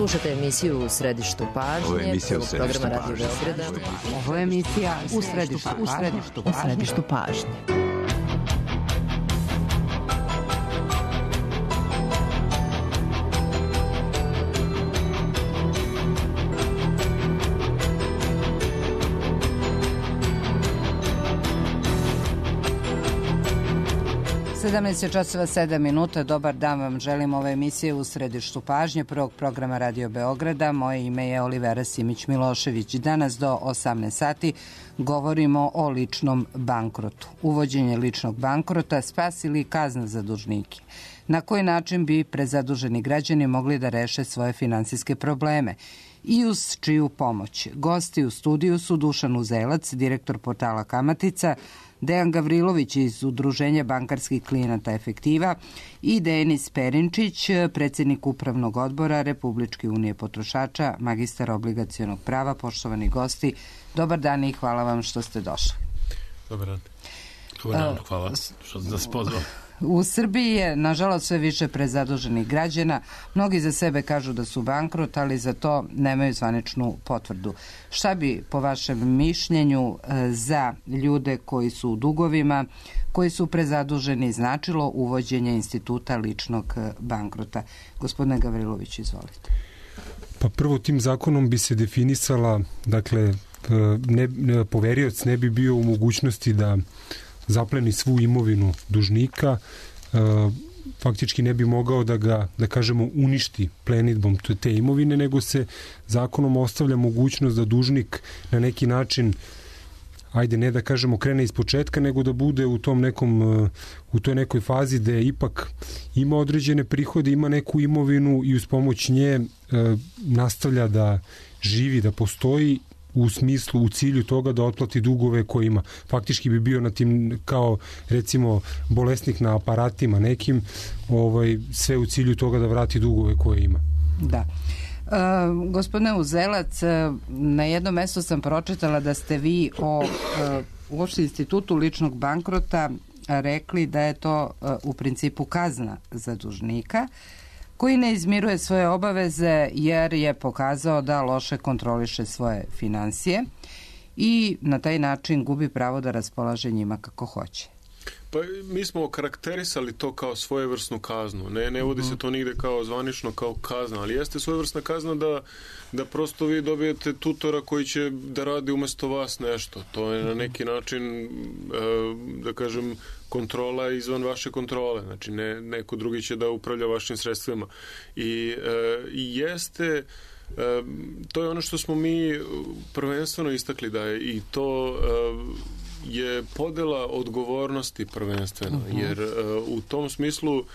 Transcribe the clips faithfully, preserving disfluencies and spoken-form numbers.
Slušajte emisiju U središtu pažnje. Ovo je emisija U središtu programa pažnje. Radio Beograda. Ovo je emisija U središtu, u središtu, u središtu pažnje. sedamnaest časova sedam minuta, dobar dan vam želim, ove emisije U središtu pažnje prvog programa Radio Beograda. Moje ime je Olivera Simić-Milošević. Danas do osamnaest sati govorimo o ličnom bankrotu. Uvođenje ličnog bankrota, spas ili kazna za dužnike. Na koji način bi prezaduženi građani mogli da reše svoje finansijske probleme i uz čiju pomoć? Gosti u studiju su Dušan Uzelac, direktor portala Kamatica, Dejan Gavrilović iz Udruženja bankarskih klijenata Efektiva i Denis Perinčić, predsjednik Upravnog odbora Republičke unije potrošača, magistar obligacionog prava. Poštovani gosti, dobar dan i hvala vam što ste došli. Dobar dan. Dobar dan, hvala što ste nas pozvali. U Srbiji je, nažalost, sve više prezaduženih građana. Mnogi za sebe kažu da su bankrot, ali za to nemaju zvaničnu potvrdu. Šta bi, po vašem mišljenju, za ljude koji su u dugovima, koji su prezaduženi, značilo uvođenje instituta ličnog bankrota? Gospodine Gavrilović, izvolite. Pa prvo, tim zakonom bi se definisala, dakle, ne, ne, poverioc ne bi bio u mogućnosti da zapleni svu imovinu dužnika, e, faktički ne bi mogao da ga, da kažemo, uništi plenidbom te imovine, nego se zakonom ostavlja mogućnost da dužnik na neki način, ajde ne da kažemo krene iz početka, nego da bude u tom nekom, u toj nekoj fazi da ipak ima određene prihode, ima neku imovinu i uz pomoć nje e, nastavlja da živi, da postoji u smislu, u cilju toga da otplati dugove koje ima. Faktički bi bio na tim, kao recimo bolesnik na aparatima nekim, ovaj, sve u cilju toga da vrati dugove koje ima. Da. Uh, gospodine Uzelac, na jednom mjestu sam pročitala da ste vi o uh, uopšte institutu ličnog bankrota rekli da je to uh, u principu kazna za dužnika koji ne izmiruje svoje obaveze jer je pokazao da loše kontroliše svoje finansije i na taj način gubi pravo da raspolaže njima kako hoće. Pa mi smo okarakterisali to kao svojevrsnu kaznu. Ne, ne vodi se to nigde kao zvanično kao kazna, ali jeste svojevrsna kazna da, da prosto vi dobijete tutora koji će da radi umjesto vas nešto. To je na neki način, da kažem, kontrola izvan vaše kontrole. Znači, ne, neko drugi će da upravlja vašim sredstvima. I jeste, to je ono što smo mi prvenstveno istakli da je i to je podela odgovornosti prvenstveno, uh-huh. jer uh, u tom smislu uh,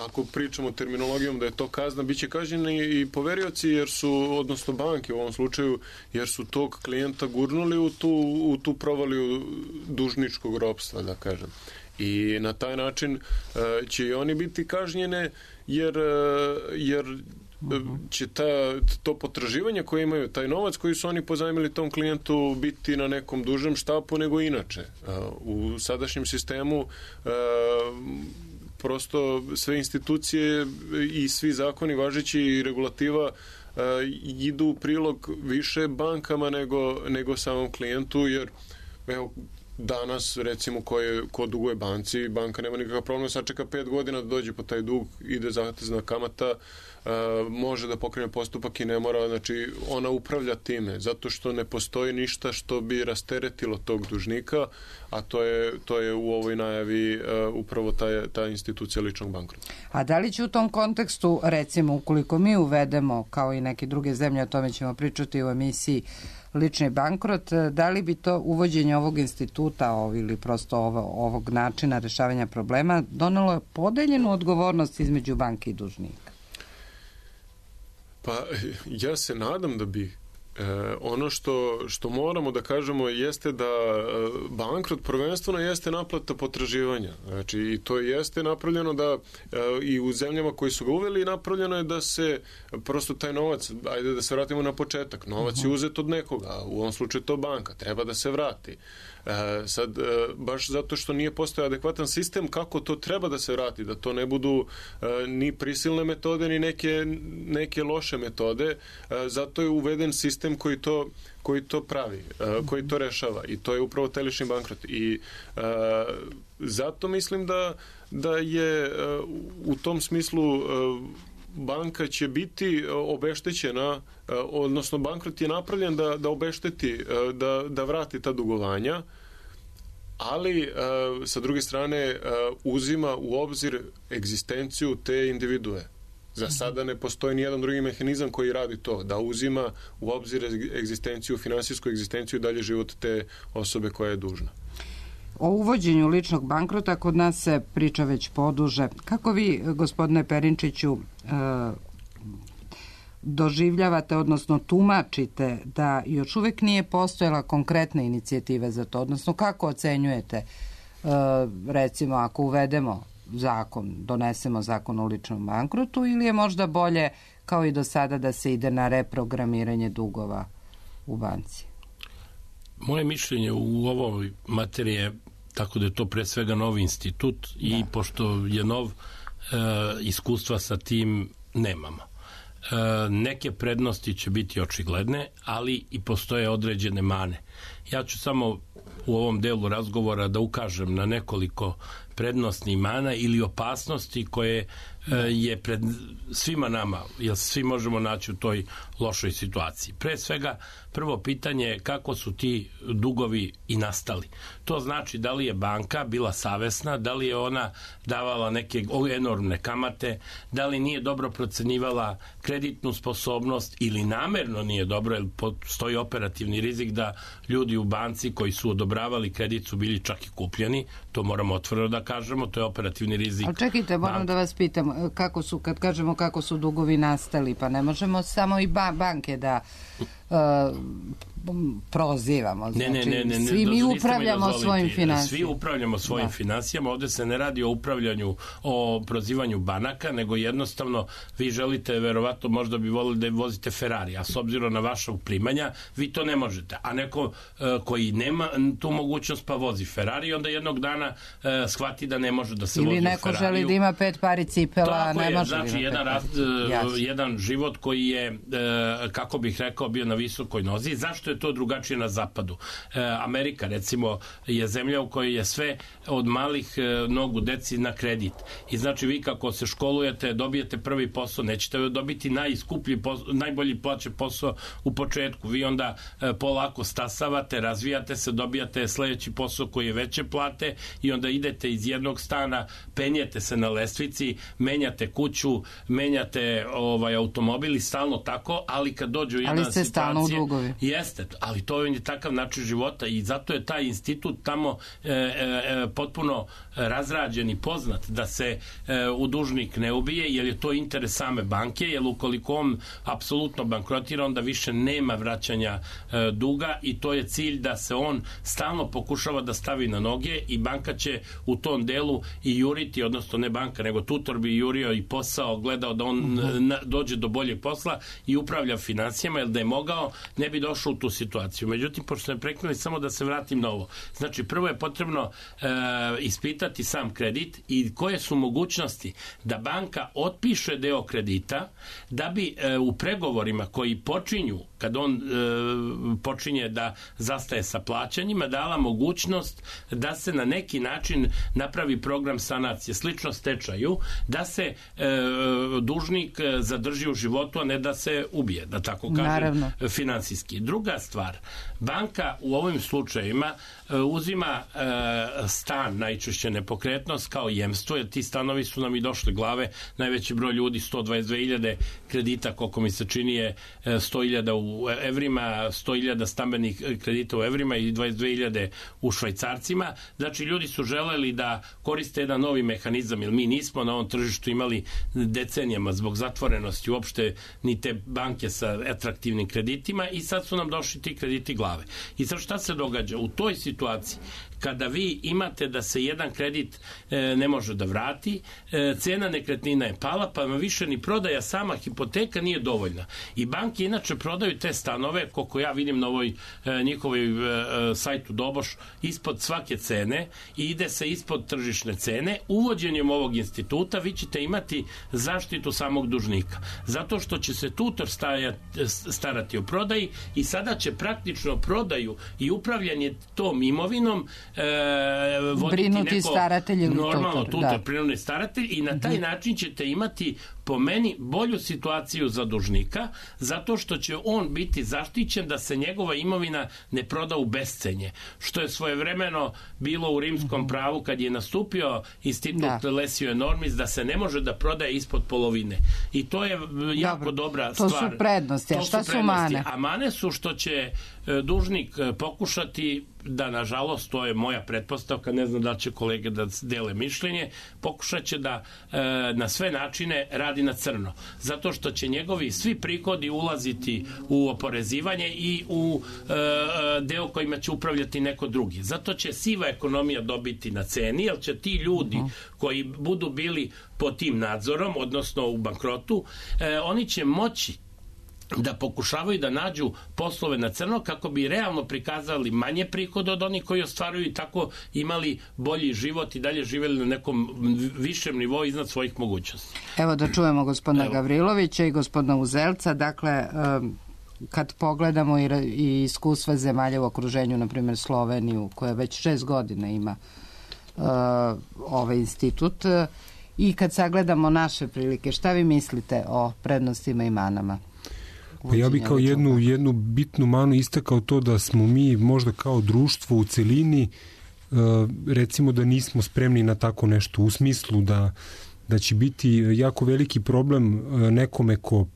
ako pričamo terminologijom da je to kazna, bit će kažnjeni i poverioci jer su, odnosno banke u ovom slučaju, jer su tog klijenta gurnuli u tu, u tu provaliju dužničkog ropstva, da kažem. I na taj način uh, će i oni biti kažnjene jer, uh, jer će ta, to potraživanje koje imaju, taj novac koji su oni pozajmili tom klijentu biti na nekom dužem štapu nego inače. U sadašnjem sistemu prosto sve institucije i svi zakoni važeći i regulativa idu u prilog više bankama nego, nego samom klijentu, jer evo, danas, recimo, ko, je, ko duguje banci, banka nema nikakav problem, sačeka pet godina da dođe po taj dug, ide zatezna kamata, uh, može da pokrene postupak i ne mora, znači ona upravlja time, zato što ne postoji ništa što bi rasteretilo tog dužnika, a to je, to je u ovoj najavi uh, upravo ta, ta institucija ličnog bankrota. A da li će u tom kontekstu, recimo, ukoliko mi uvedemo, kao i neke druge zemlje, o tome ćemo pričati u emisiji, lični bankrot, da li bi to uvođenje ovog instituta ov, ili prosto ovo, ovog načina rešavanja problema donelo podeljenu odgovornost između banke i dužnika? Pa ja se nadam da bi. E, ono što, što moramo da kažemo jeste da bankrot prvenstveno jeste naplata potraživanja. Znači, i to jeste napravljeno da e, i u zemljama koji su ga uveli napravljeno je da se prosto taj novac, ajde da se vratimo na početak, novac uh-huh. je uzet od nekoga, u ovom slučaju to banka, treba da se vrati. E, sad, e, baš zato što nije postojao adekvatan sistem kako to treba da se vrati, da to ne budu e, ni prisilne metode, ni neke, neke loše metode, e, zato je uveden sistem koji to koji to pravi, uh, koji to rešava i to je upravo telešni bankrot i uh, zato mislim da, da je uh, u tom smislu uh, banka će biti obeštećena, uh, odnosno bankrot je napravljen da, da obešteti, uh, da, da vrati ta dugovanja, ali uh, sa druge strane uh, uzima u obzir egzistenciju te individue. Za sada ne postoji nijedan drugi mehanizam koji radi to, da uzima u obzir egzistenciju, finansijsku egzistenciju i dalje život te osobe koja je dužna. O uvođenju ličnog bankrota kod nas se priča već poduže. Kako vi, gospodine Perinčiću, doživljavate, odnosno tumačite da još uvek nije postojala konkretna inicijativa za to, odnosno kako ocenjujete, recimo, ako uvedemo zakon, donesemo zakon o ličnom bankrotu, ili je možda bolje kao i do sada da se ide na reprogramiranje dugova u banci? Moje mišljenje u ovoj materiji je tako da je to pre svega novi institut i da. Pošto je nov, e, iskustva sa tim nemamo. E, neke prednosti će biti očigledne, ali i postoje određene mane. Ja ću samo u ovom delu razgovora da ukažem na nekoliko prednosti mana ili opasnosti koje e, je pred svima nama, jer svi možemo naći u toj lošoj situaciji. Pre svega, prvo pitanje je kako su ti dugovi i nastali. To znači da li je banka bila savesna, da li je ona davala neke enormne kamate, da li nije dobro procenjivala kreditnu sposobnost ili namerno nije dobro, jer postoji operativni rizik da ljudi u banci koji su odobravali kredit su bili čak i kupljeni, to moramo otvoreno da kažemo, to je operativni rizik. Ali čekajte, moram bank. da vas pitam, kako su, kad kažemo kako su dugovi nastali, pa ne možemo samo i ba- banke da uh, prozivamo. Znači, ne, ne, ne, ne, svi mi upravljamo svojim finansijama. Svi upravljamo svojim da. finansijama, ovde se ne radi o upravljanju, o prozivanju banaka, nego jednostavno vi želite, verovatno možda bi volili da vozite Ferrari, a s obzirom na vaša primanja, vi to ne možete. A neko uh, koji nema tu mogućnost pa vozi Ferrari, onda jednog dana uh, shvati da ne može da se ili vozi u Ferrariju. Ili neko želi da ima pet pari cipela, ne je, može. Znači, jedan, rast, uh, jedan život koji je, uh, kako bih rekao, bio na visokoj nozi. Zašto je to drugačije na zapadu? E, Amerika, recimo, je zemlja u kojoj je sve od malih e, nogu deci na kredit. I znači vi kako se školujete, dobijete prvi posao, nećete dobiti najskuplji posao, najbolji plaće posao u početku. Vi onda e, polako stasavate, razvijate se, dobijate sledeći posao koji je veće plate i onda idete iz jednog stana, penjete se na lestvici, menjate kuću, menjate ovaj automobil i stalno tako, ali kad dođu jedna situacija... Ali ste stalno u dugovi. Jeste, ali to je takav način života i zato je taj institut tamo e, e, potpuno razrađen i poznat da se e, u dužnik ne ubije, jer je to interes same banke, jer ukoliko on apsolutno bankrotira, onda više nema vraćanja e, duga i to je cilj da se on stalno pokušava da stavi na noge i banka će u tom delu i juriti, odnosno ne banka, nego tutor bi jurio i posao, gledao da on mm-hmm. na, dođe do boljeg posla i upravlja financijama, jer da je mogao, ne bi došao u tu situaciju. Međutim, pošto ne preknuli, samo da se vratim na ovo. Znači, prvo je potrebno e, ispitati sam kredit i koje su mogućnosti da banka otpiše deo kredita da bi e, u pregovorima koji počinju, kad on e, počinje da zastaje sa plaćanjima, dala mogućnost da se na neki način napravi program sanacije, slično stečaju, da se e, dužnik zadrži u životu, a ne da se ubije, da tako kažem, Naravno. finansijski. Druga stvar, banka u ovim slučajevima e, uzima e, stan, najčešće nepokretnost, kao jemstvo, jer ti stanovi su nam i došli glave, najveći broj ljudi, sto dvadeset dve hiljade kredita, koliko mi se čini je sto hiljada u evrima, sto hiljada stambenih kredita u evrima i dvadeset dve hiljade u švajcarcima. Znači, ljudi su želeli da koriste jedan novi mehanizam, jer mi nismo na ovom tržištu imali decenijama zbog zatvorenosti uopšte ni te banke sa atraktivnim kreditima i sad su nam došli ti krediti glave. I sad šta se događa? U toj situaciji, kada vi imate da se jedan kredit e, ne može da vrati, e, cena nekretnina je pala, pa vam više ni prodaja sama hipoteka nije dovoljna. I banke inače prodaju te stanove, koliko ja vidim na ovoj e, njihovoj e, sajtu Doboš, ispod svake cene i ide se ispod tržišne cene. Uvođenjem ovog instituta vi ćete imati zaštitu samog dužnika. Zato što će se tutor stajati, starati o prodaji i sada će praktično prodaju i upravljanje tom imovinom e, voditi brinuti neko staratelj normalno tutor, tutor, da. prinudni staratelj i na taj način ćete imati po meni bolju situaciju za dužnika, zato što će on biti zaštićen da se njegova imovina ne proda u bescenje, što je svojevremeno bilo u rimskom pravu kad je nastupio institut da. Lesio enormis, da se ne može da prodaje ispod polovine. I to je jako Dobro, dobra to stvar. To su prednosti, a šta su, su mane? A mane su što će dužnik pokušati da, nažalost, to je moja pretpostavka, ne znam da će kolege da dele mišljenje, pokušat će da e, na sve načine radi na crno. Zato što će njegovi svi prihodi ulaziti u oporezivanje i u e, deo kojima će upravljati neko drugi. Zato će siva ekonomija dobiti na ceni, jer će ti ljudi koji budu bili pod tim nadzorom, odnosno u bankrotu, e, oni će moći da pokušavaju da nađu poslove na crno kako bi realno prikazali manje prihoda od onih koji ostvaruju i tako imali bolji život i dalje živjeli na nekom višem nivou iznad svojih mogućnosti. Evo da čujemo gospodina Evo. Gavrilovića i gospodina Uzelca. Dakle, kad pogledamo i iskustva zemalja u okruženju, na primjer Sloveniju, koja već šest godina ima ovaj institut, i kad sagledamo naše prilike, šta vi mislite o prednostima i manama? Pa ja bih kao jednu, jednu bitnu manu istakao to da smo mi možda kao društvo u celini recimo da nismo spremni na tako nešto, u smislu da, da će biti jako veliki problem nekome ko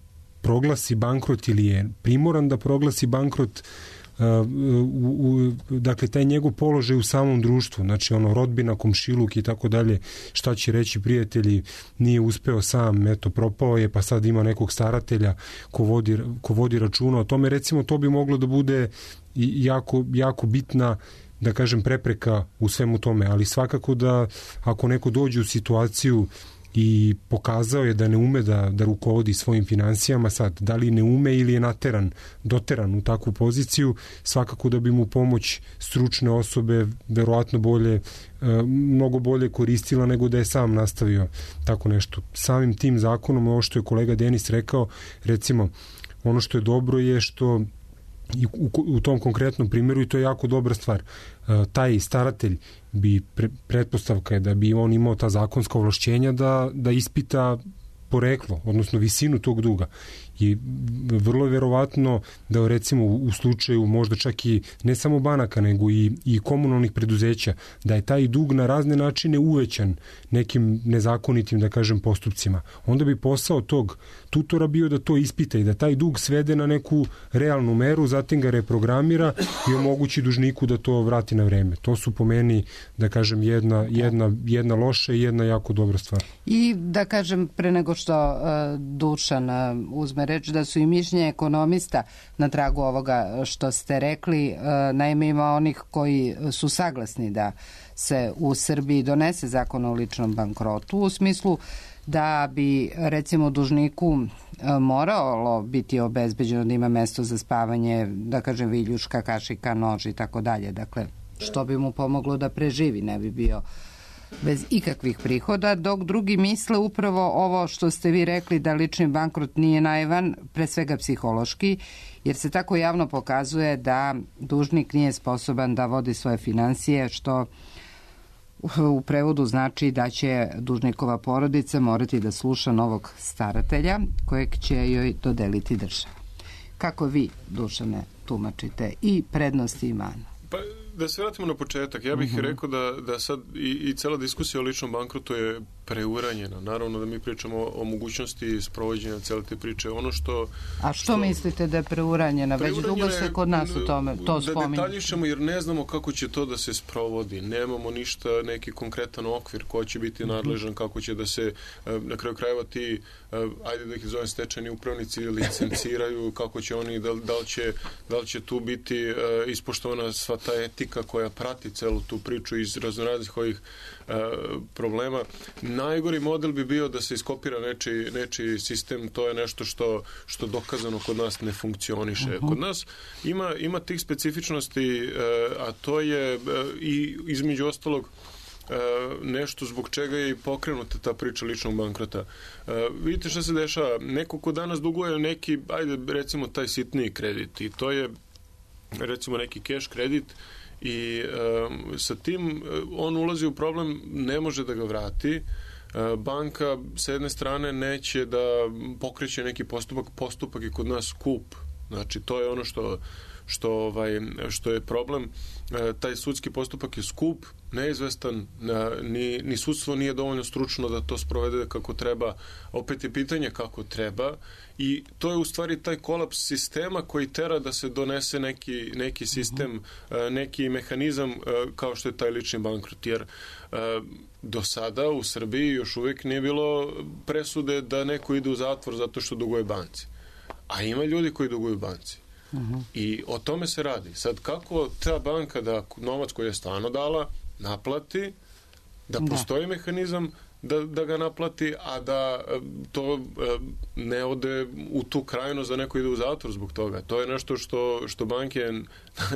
proglasi bankrot ili je primoran da proglasi bankrot, u, u, dakle taj njegov položaj u samom društvu, znači ono rodbina, komšiluk i tako dalje, šta će reći prijatelji, nije uspeo sam, eto propao je, pa sad ima nekog staratelja ko vodi, ko vodi računa o tome, recimo to bi moglo da bude jako, jako bitna, da kažem, prepreka u svemu tome, ali svakako da ako neko dođe u situaciju i pokazao je da ne ume da, da rukovodi svojim finansijama, sad, da li ne ume ili je nateran, doteran u takvu poziciju, svakako da bi mu pomoć stručne osobe verovatno bolje, mnogo bolje koristila nego da je sam nastavio tako nešto. Samim tim zakonom, ovo što je kolega Denis rekao, recimo, ono što je dobro je što i u, u tom konkretnom primjeru, i to je jako dobra stvar, taj staratelj bi, pre, pretpostavka je da bi on imao ta zakonska ovlašćenja da, da ispita poreklo, odnosno visinu tog duga. I vrlo je verovatno da recimo u slučaju možda čak i ne samo banaka nego i, i komunalnih preduzeća, da je taj dug na razne načine uvećan nekim nezakonitim, da kažem, postupcima. Onda bi posao tog tutora bio da to ispita i da taj dug svede na neku realnu meru, zatim ga reprogramira i omogući dužniku da to vrati na vreme. To su po meni, da kažem, jedna, jedna, jedna loša i jedna jako dobra stvar. I da kažem, pre nego što uh, Dušan uh, uzme reč, da su i mišljenja ekonomista na tragu ovoga što ste rekli. Naime, ima onih koji su saglasni da se u Srbiji donese zakon o ličnom bankrotu, u smislu da bi recimo dužniku moralo biti obezbeđeno da ima mesto za spavanje, da kažem viljuška, kašika, nož i tako dalje. Dakle, što bi mu pomoglo da preživi, ne bi bio bez ikakvih prihoda, dok drugi misle upravo ovo što ste vi rekli, da lični bankrot nije naivan, pre svega psihološki, jer se tako javno pokazuje da dužnik nije sposoban da vodi svoje finansije, što u prevodu znači da će dužnikova porodica morati da sluša novog staratelja kojeg će joj dodeliti država. Kako vi, Dušane, tumačite i prednosti i mana? Pa, da se vratimo na početak, ja bih uh-huh. rekao da, da sad i, i cela diskusija o ličnom bankrotu je preuranjena. Naravno da mi pričamo o, o mogućnosti sprovođenja cele te priče. Ono što... A što, što mislite da je preuranjena? Već dugo se kod nas u tome to spominje. Da detaljišemo jer ne znamo kako će to da se sprovodi. Nemamo ništa, neki konkretan okvir ko će biti nadležan, kako će da se na kraju krajeva ti, ajde da ih zovem stečajni upravnici, licenciraju, kako će oni, da, da, li, će, da li će tu biti ispoštovana sva ta etika koja prati celu tu priču iz raznoraznih ovih problema. Najgori model bi bio da se iskopira nečiji, nečiji sistem, to je nešto što, što dokazano kod nas ne funkcioniše. Uh-huh. Kod nas ima, ima tih specifičnosti, a to je i između ostalog nešto zbog čega je i pokrenuta ta priča ličnog bankrota. Vidite šta se dešava. Neko ko danas duguje neki, ajde recimo taj sitniji kredit i to je recimo neki cash kredit i um, sa tim on ulazi u problem, ne može da ga vrati. Uh, banka sa jedne strane neće da pokreće neki postupak, postupak je kod nas skup. Znači to je ono što što ovaj što je problem. Uh, taj sudski postupak je skup, neizvestan, uh, ni, ni sudstvo nije dovoljno stručno da to sprovede kako treba. Opet je pitanje kako treba i to je u stvari taj kolaps sistema koji tera da se donese neki, neki sistem, uh, neki mehanizam uh, kao što je taj lični bankrot. Jer uh, do sada u Srbiji još uvijek nije bilo presude da neko ide u zatvor zato što duguje banci. A ima ljudi koji duguju banci. Uh-huh. I o tome se radi. Sad kako ta banka da novac koji je stvarno dala naplati, da postoji da. mehanizam da, da ga naplati, a da to ne ode u tu krajnost da neko ide u zatvor zbog toga. To je nešto što, što banke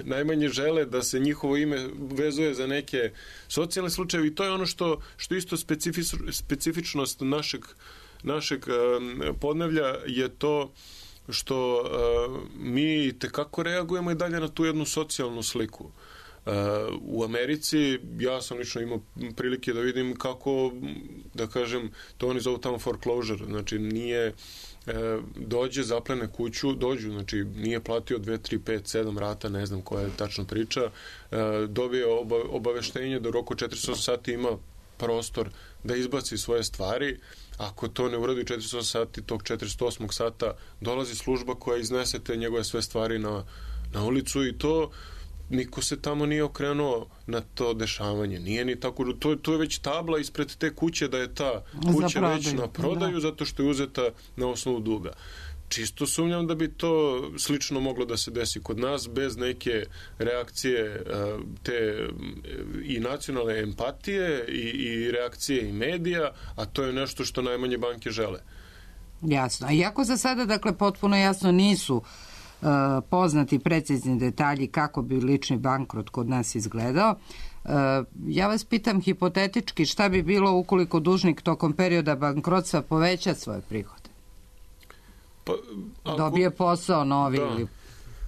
najmanje žele da se njihovo ime vezuje za neke socijalne slučajeve i to je ono što, što isto specifič, specifičnost našeg, našeg podneblja je to što uh, mi tekako reagujemo i dalje na tu jednu socijalnu sliku. Uh, u Americi ja sam lično imao prilike da vidim kako, da kažem, to oni zovu tamo foreclosure, znači nije uh, dođe, zaplene kuću, dođu, znači nije platio dve, tri, pet, sedam rata, ne znam koja je tačna priča, uh, dobije oba, obaveštenje da u roku četrdeset osam sati ima prostor da izbaci svoje stvari. Ako to ne uradi četrdeset osam sati, tog četrdeset osmog sata dolazi služba koja iznese te njegove sve stvari na, na ulicu i to niko se tamo nije okrenuo na to dešavanje. Nije ni tako, to, to je već tabla ispred te kuće da je ta kuća već na prodaju da. Zato što je uzeta na osnovu duga. Čisto sumnjam da bi to slično moglo da se desi kod nas bez neke reakcije te i nacionalne empatije i, i reakcije i medija, a to je nešto što najmanje banke žele. Jasno. Iako za sada, dakle, potpuno jasno nisu uh, poznati precizni detalji kako bi lični bankrot kod nas izgledao, Uh, ja vas pitam hipotetički šta bi bilo ukoliko dužnik tokom perioda bankrotstva poveća svoje prihode? Pa, ako, dobije posao novi da. Ili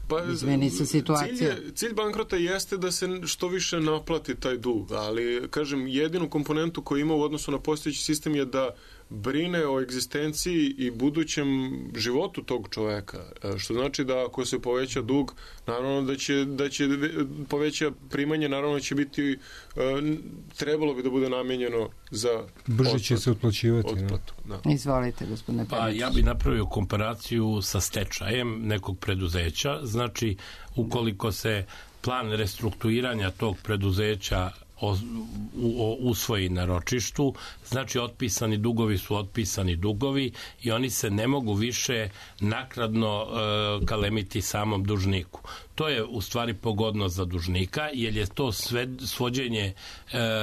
pa, izmeni se situacija. Cilj, je, cilj bankrota jeste da se što više naplati taj dug, ali kažem, jedinu komponentu koju ima u odnosu na postojeći sistem je da brine o egzistenciji i budućem životu tog čoveka. Što znači da ako se poveća dug, naravno da će, da će poveća primanje, naravno će biti, trebalo bi da bude namijenjeno za brže će se otplaćivati. Otplatu, da. Izvolite, gospodine Perić. Pa ja bih napravio komparaciju sa stečajem nekog preduzeća. Znači, ukoliko se plan restrukturiranja tog preduzeća usvoji na ročištu, znači otpisani dugovi su otpisani dugovi i oni se ne mogu više naknadno e, kalemiti samom dužniku. To je u stvari pogodnost za dužnika, jer je to sve, svođenje, e,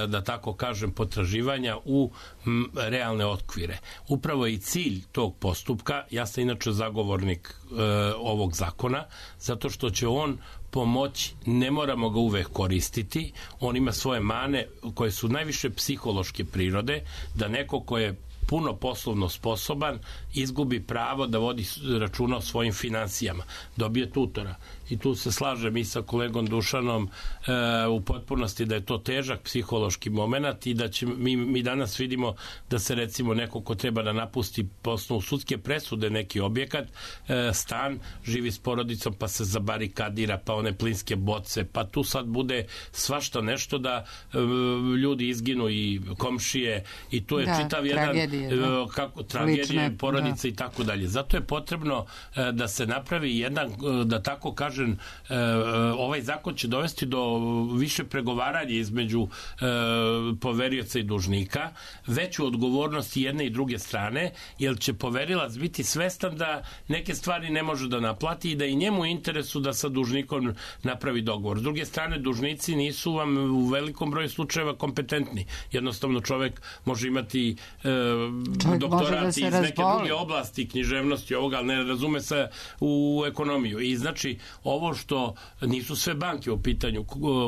da tako kažem, potraživanja u m, realne okvire. Upravo i cilj tog postupka, ja sam inače zagovornik e, ovog zakona, zato što će on pomoći, ne moramo ga uvek koristiti, on ima svoje mane koje su najviše psihološke prirode, da neko ko je puno poslovno sposoban izgubi pravo da vodi računa o svojim finansijama, dobije tutora i tu se slažem i sa kolegom Dušanom e, u potpunosti da je to težak psihološki moment i da će, mi, mi danas vidimo da se recimo neko ko treba da napusti po osnovu sudske presude neki objekat, e, stan, živi s porodicom pa se zabarikadira, pa one plinske boce, pa tu sad bude svašta nešto da e, ljudi izginu i komšije i to je da, čitav jedan tragedije, da. kako, tragedije Lične, porodice da. i tako dalje. Zato je potrebno e, da se napravi jedan, da tako kažem, e, ovaj zakon će dovesti do više pregovaranja između e, poverioca i dužnika, veću odgovornost jedne i druge strane, jer će poverilac biti svestan da neke stvari ne može da naplati i da i njemu interesu da sa dužnikom napravi dogovor. S druge strane, dužnici nisu vam u velikom broju slučajeva kompetentni. Jednostavno čovek može imati e, doktorat da iz neke razboli. druge oblasti, književnosti ovoga, ali ne razume se u ekonomiju. I znači, ovo što nisu sve banke u pitanju,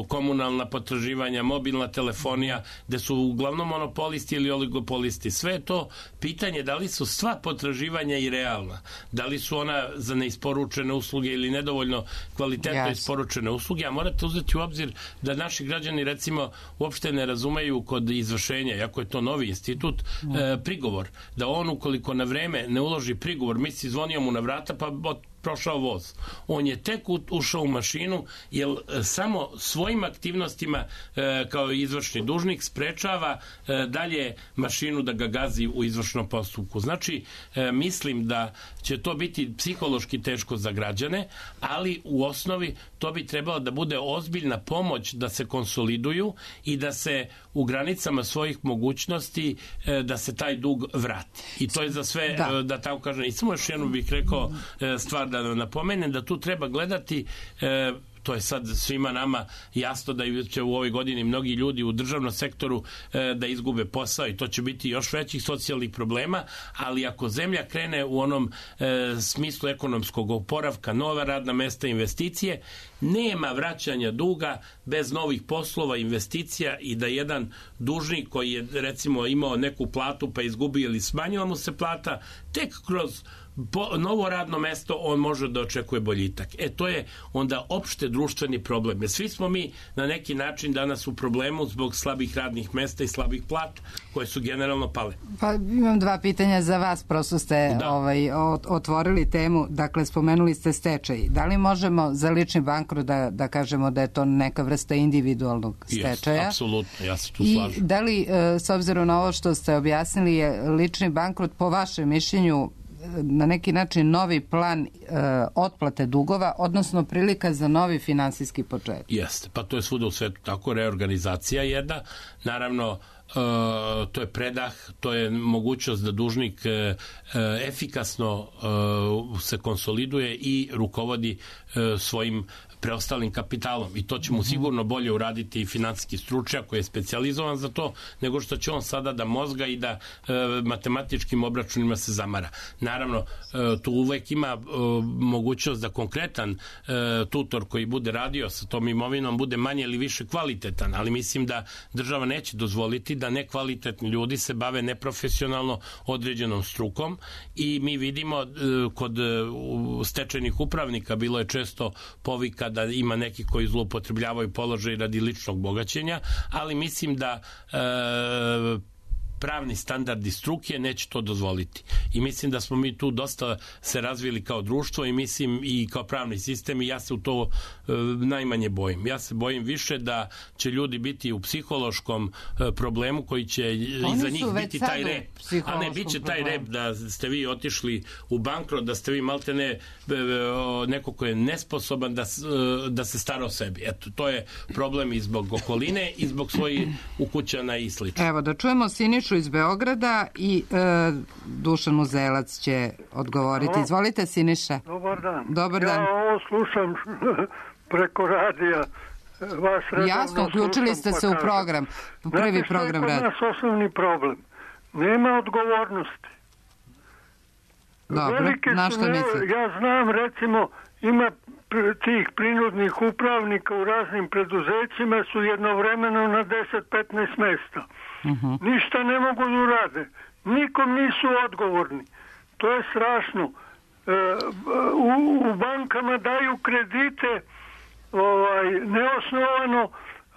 komunalna potraživanja, mobilna telefonija, gde su uglavnom monopolisti ili oligopolisti, sve je to pitanje da li su sva potraživanja i realna, da li su ona za neisporučene usluge ili nedovoljno kvalitetno yes. isporučene usluge, a morate uzeti u obzir da naši građani recimo uopšte ne razumeju kod izvršenja, jako je to novi institut, mm. e, prigovor, da on ukoliko na vreme ne uloži prigovor, misli zvonio mu na vrata pa od prošao voz. On je tek ušao u mašinu jer samo svojim aktivnostima e, kao izvršni dužnik sprečava e, dalje mašinu da ga gazi u izvršnom postupku. Znači, e, mislim da će to biti psihološki teško za građane, ali u osnovi to bi trebalo da bude ozbiljna pomoć da se konsoliduju i da se u granicama svojih mogućnosti e, da se taj dug vrati. I to je za sve, da, e, da tako kažem, i samo još jednu bih rekao e, stvar da napomenem da tu treba gledati e, to je sad svima nama jasno da će u ovoj godini mnogi ljudi u državnom sektoru e, da izgube posao i to će biti još većih socijalnih problema, ali ako zemlja krene u onom e, smislu ekonomskog oporavka, nova radna mesta, investicije, nema vraćanja duga bez novih poslova, investicija i da jedan dužnik koji je recimo imao neku platu pa izgubio ili smanjila mu se plata, tek kroz po, novo radno mesto on može da očekuje boljitak. E to je onda opšte društveni problem. Jer svi smo mi na neki način danas u problemu zbog slabih radnih mesta i slabih plata koje su generalno pale. Pa imam dva pitanja za vas, prosto ste ovaj, otvorili temu, dakle spomenuli ste stečaj. Da li možemo za lični bankrot da, da kažemo da je to neka vrsta individualnog stečaja? Yes, apsolutno, ja se tu I slažem. Da li, s obzirom na ovo što ste objasnili, je lični bankrot po vašem mišljenju na neki način novi plan e, otplate dugova, odnosno prilika za novi finansijski početak? Jeste, pa to je svuda u svetu tako, reorganizacija jedna, naravno e, to je predah, to je mogućnost da dužnik e, efikasno e, se konsoliduje i rukovodi e, svojim preostalim kapitalom i to će mu sigurno bolje uraditi i finansijski stručnjak koji je specijalizovan za to, nego što će on sada da mozga i da e, matematičkim obračunima se zamara. Naravno, e, tu uvek ima e, mogućnost da konkretan e, tutor koji bude radio sa tom imovinom bude manje ili više kvalitetan, ali mislim da država neće dozvoliti da nekvalitetni ljudi se bave neprofesionalno određenom strukom i mi vidimo e, kod e, stečajnih upravnika bilo je često povika da ima neki koji zloupotrebljavaju položaj radi ličnog bogaćenja, ali mislim da e, pravni standardi struke neće to dozvoliti. I mislim da smo mi tu dosta se razvili kao društvo i mislim i kao pravni sistem i ja se u to e, najmanje bojim. Ja se bojim više da će ljudi biti u psihološkom e, problemu koji će Oni iza njih biti taj rep. A ne, bit će taj rep da ste vi otišli u bankrot, da ste vi malte ne e, neko ko je nesposoban da, e, da se stara o sebi. Eto, to je problem i zbog okoline i zbog svojih ukućana i slično. Evo, da čujemo Sinišu iz Beograda i e, Dušan Uzelac će odgovoriti. Halo. Izvolite, Siniša. Dobar dan. Dobar ja dan. ovo slušam preko radija. Vas Jasno, uključili ste se u program. U prvi Znate program radi. radi. Znate što je kod nas osnovni problem? Nema odgovornosti. Dobro, na što mislite? Ja znam, recimo, ima tih prinudnih upravnika u raznim preduzećima su jednovremeno na deset do petnaest mesta. Uh-huh. Ništa ne mogu da urade. Nikom nisu odgovorni. To je strašno. u, u bankama daju kredite ovaj, neosnovano,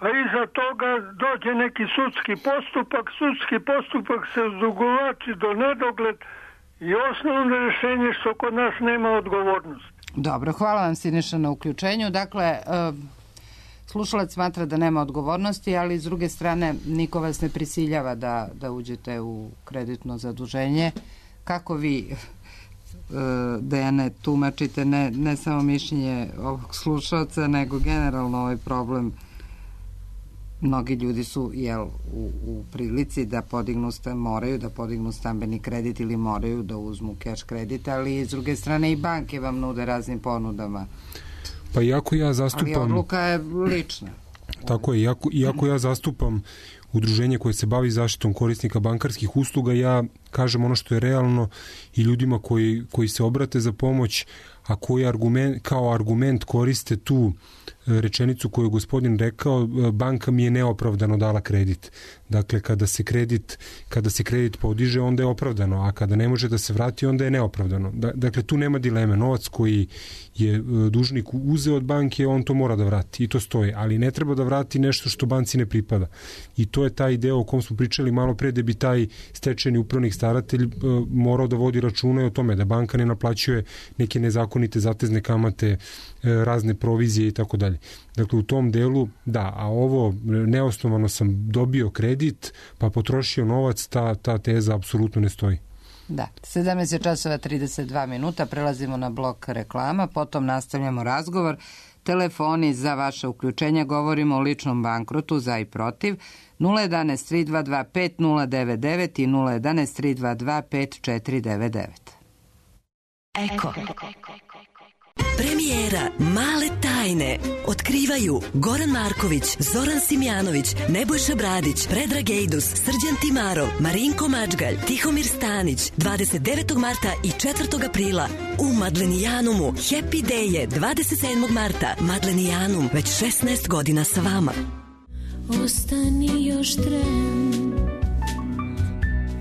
a iza toga dođe neki sudski postupak, sudski postupak se odugovlači do nedogled i osnovno rješenje što kod nas nema odgovornosti. Dobro, hvala vam Siniša na uključenju. Dakle, slušalac smatra da nema odgovornosti, ali s druge strane niko vas ne prisiljava da, da uđete u kreditno zaduženje. Kako vi, Dejane, tumačite ne, ne samo mišljenje ovog slušalca, nego generalno ovaj problem? Mnogi ljudi su jel, u, u prilici da podignu, moraju da podignu stambeni kredit ili moraju da uzmu cash kredit, ali s druge strane i banke vam nude raznim ponudama. Pa iako ja zastupam... Ali odluka je lična. Tako je, iako, iako ja zastupam udruženje koje se bavi zaštitom korisnika bankarskih usluga, ja kažem ono što je realno i ljudima koji, koji se obrate za pomoć, a koji argument, kao argument koriste tu rečenicu koju je gospodin rekao, banka mi je neopravdano dala kredit. Dakle, kada se kredit, kada se kredit podiže, onda je opravdano, a kada ne može da se vrati, onda je neopravdano. Dakle, tu nema dileme. Novac koji je dužnik uzeo od banke, on to mora da vrati i to stoji, ali ne treba da vrati nešto što banci ne pripada. I to je taj deo o kom smo pričali malo pre, da bi taj stečajni upravnik staratelj morao da vodi računa o tome da banka ne naplaćuje neke nezakonite zatezne kamate, razne provizije i tako dalje. Dakle, u tom delu, da, a ovo neosnovano sam dobio kredit, pa potrošio novac, ta, ta teza apsolutno ne stoji. Da, sedamnaest časova trideset dva minuta, prelazimo na blok reklama, potom nastavljamo razgovor. Telefoni za vaše uključenja, govorimo o ličnom bankrotu za i protiv, nula jedanaest tri dva dva pet nula devet devet i nula jedanaest tri dva dva pet četiri devet devet. Eko. Premijera Male tajne otkrivaju Goran Marković, Zoran Simjanović, Nebojša Bradić, Predrag Ejdus, Srđan Timarov, Marinko Mačgalj, Tihomir Stanić, dvadeset devetog marta i četvrtog aprila u Madlenijanumu. Happy Day je dvadeset sedmog marta. Madlenijanum, već šesnaest godina sa vama. Ostani još tren,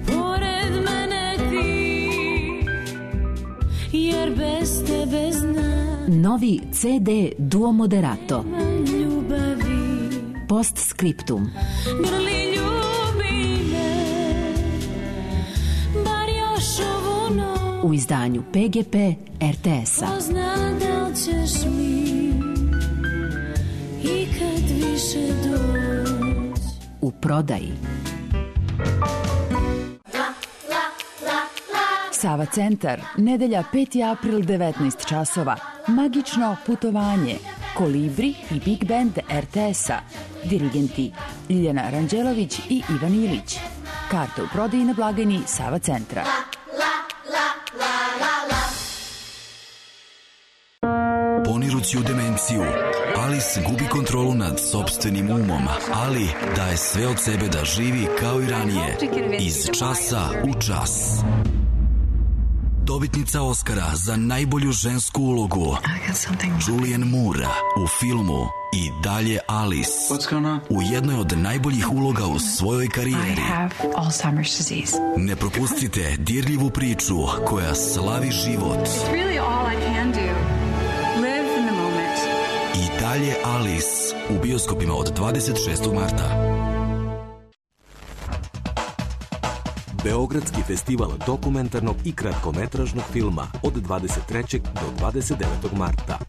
pored mene ti, jer bez tebe znam. Novi ce de Duo Moderato. Postscriptum. Grli ljubi me, bar još ovu noć. U izdanju pe ge pe er te es-a. Pozna da li ćeš mi ikad više doći. U prodaji. Sava centar, nedelja peti april devetnaest časova. Magično putovanje. Kolibri i Big Band er te es-a. Dirigenti Ljiljana Ranđelović i Ivan Ilić. Karte u prodaji na blagajni Sava centra. Ponirući u demenciju, Alice gubi kontrolu nad sopstvenim umom, ali daje sve od sebe da živi kao i ranije. Iz časa u čas. Dobitnica Oscara za najbolju žensku ulogu Julianne Moore u filmu I dalje Alice u jednoj od najboljih uloga u svojoj karijeri. Ne propustite dirljivu priču koja slavi život. I dalje Alice u bioskopima od dvadeset šestog marta. Beogradski festival dokumentarnog i kratkometražnog filma od dvadeset trećeg do dvadeset devetog marta.